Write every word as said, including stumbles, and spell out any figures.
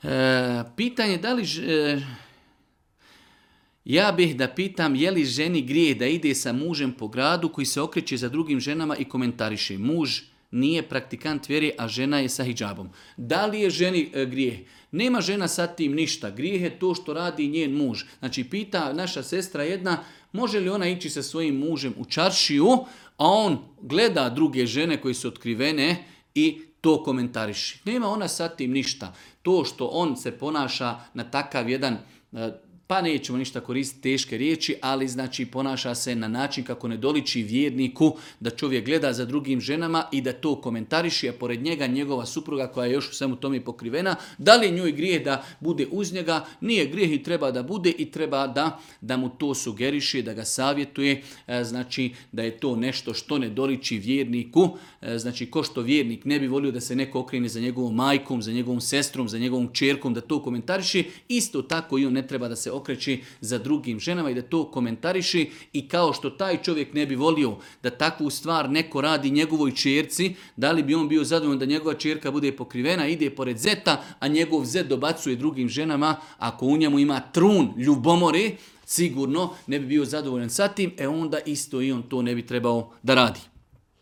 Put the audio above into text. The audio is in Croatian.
E, pitanje da li... ž- e, ja bih da pitam je li ženi grijeh da ide sa mužem po gradu koji se okreće za drugim ženama i komentariše. Muž nije praktikant vjere, a žena je sa hidžabom. Da li je ženi e, grijeh? Nema žena sa tim ništa. Grijeh je to što radi njen muž. Znači pita naša sestra jedna, može li ona ići sa svojim mužem u čaršiju, a on gleda druge žene koje su otkrivene i to komentariši. Nema ona sa tim ništa. To što on se ponaša na takav jedan, e, pa nećemo ništa koristiti teške riječi, ali znači ponaša se na način kako ne doliči vjerniku da čovjek gleda za drugim ženama i da to komentariši, a pored njega njegova supruga koja je još u svemu tome pokrivena. Da li je njoj grijeh da bude uz njega? Nije grijeh i treba da bude i treba da, da mu to sugeriše, da ga savjetuje, e, znači da je to nešto što ne doliči vjerniku. E, znači ko što vjernik ne bi volio da se neko okrene za njegovom majkom, za njegovom sestrom, za njegovom čerkom, da to komentariši, isto tako i on ne treba da se okreći za drugim ženama i da to komentariši, i kao što taj čovjek ne bi volio da takvu stvar neko radi njegovoj čerci, da li bi on bio zadovoljan da njegova čerka bude pokrivena, ide pored zeta, a njegov zet dobacuje drugim ženama, ako u njemu ima trun ljubomore, sigurno ne bi bio zadovoljan sa tim, e onda isto i on to ne bi trebao da radi.